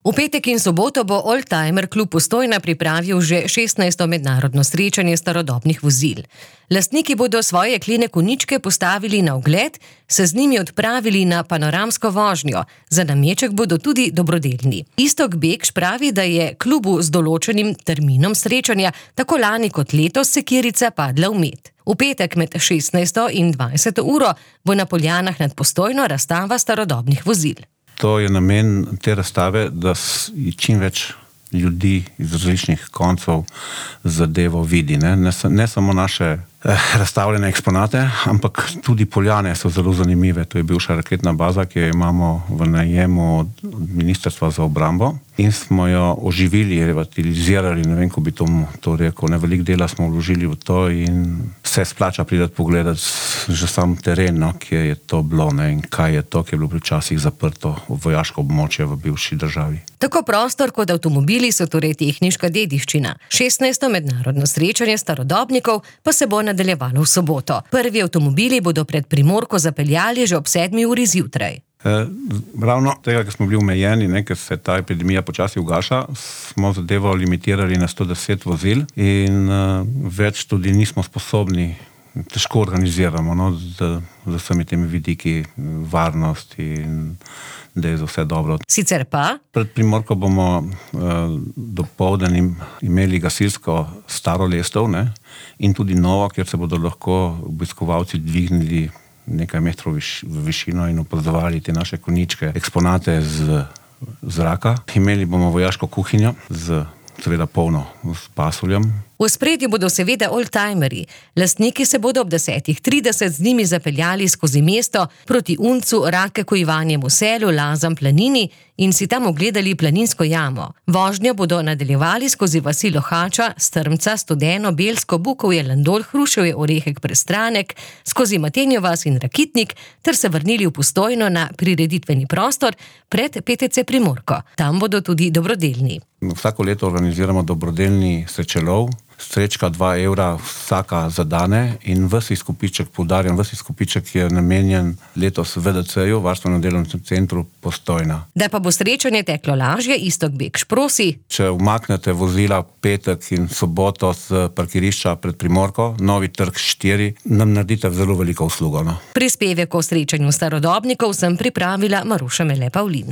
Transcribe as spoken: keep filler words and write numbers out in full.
V petek in soboto bo Oldtimer klub Postojna pripravil že šestnajsto mednarodno srečanje starodobnih vozil. Lastniki bodo svoje jeklene konjičke postavili na ogled, se z njimi odpravili na panoramsko vožnjo, za nameček bodo tudi dobrodelni. Iztok Bekš pravi, da je klubu z določenim terminom srečanja tako lani kot letos sekirica padla v med. V petek med šestnajsto in dvajseto uro bo na Poljanah nad Postojno razstava starodobnih vozil. To je namen te razstave, da čim več ljudi iz različnih koncev zadevo vidi. Ne, ne, ne samo naše eh, razstavljene eksponate, ampak tudi Poljane so zelo zanimive. To je bivša raketna baza, ki jo imamo v najemu od Ministrstva za obrambo in smo jo oživili, revitalizirali, ne vem, ko bi to, to rekel. Ne, veliko dela smo vložili v to in se splača pridati pogledati že sam teren, no, kje je to bilo, ne, in kaj je to, ki je bilo včasih zaprto vojaško območje v bivši državi. Tako prostor kot avtomobili so torej tehniška dediščina. šestnajsto mednarodno srečanje starodobnikov pa se bo nadaljevalo v soboto. Prvi avtomobili bodo pred Primorko zapeljali že ob sedmi uri zjutraj. Eh, ravno tega, ker smo bili omejeni, ne, ker se ta epidemija počasi ugaša, smo zadevo limitirali na sto deset vozil in eh, več tudi nismo sposobni, težko organiziramo, no, z, z vsemi temi vidiki varnosti in da je za vse dobro. Sicer pa? Pred Primorko bomo eh, dopoldan imeli gasilsko staro lestev, ne, in tudi novo, kjer se bodo lahko obiskovalci dvignili nekaj metrov viš, v višino in opazovali te naše konjičke, eksponate z zraka. Imeli bomo vojaško kuhinjo z seveda polno s pasuljem. V ospredju bodo seveda oldtimerji. Lastniki se bodo ob desetih trideset z njimi zapeljali skozi mesto proti Uncu, Rakeku, Ivanjemu selu, Lazam, Planini in si tam ogledali planinsko jamo. Vožnjo bodo nadaljevali skozi vasi Lohača, Strmca, Studeno, Belsko, Bukovje, Landol, Hruševje, Orehek, Prestranek, skozi Matenjo vas in Rakitnik ter se vrnili v Postojno na prireditveni prostor pred P T C Primorko. Tam bodo tudi dobrodelni. Vsako leto organiziramo dobrodelni srečelov. Srečka dva evra vsaka zadane in ves izkupiček, poudarjam, ves izkupiček je namenjen letos V D C-ju, Varstveno delovnem centru Postojna. Da pa bo srečanje teklo lažje, Iztok Bekš prosi. Če umaknete vozila petek in soboto z parkirišča pred Primorko, Novi trg štiri, nam naredite zelo veliko uslugo. No? Prispevek o srečanju starodobnikov sem pripravila Maruša Mele Pavlin.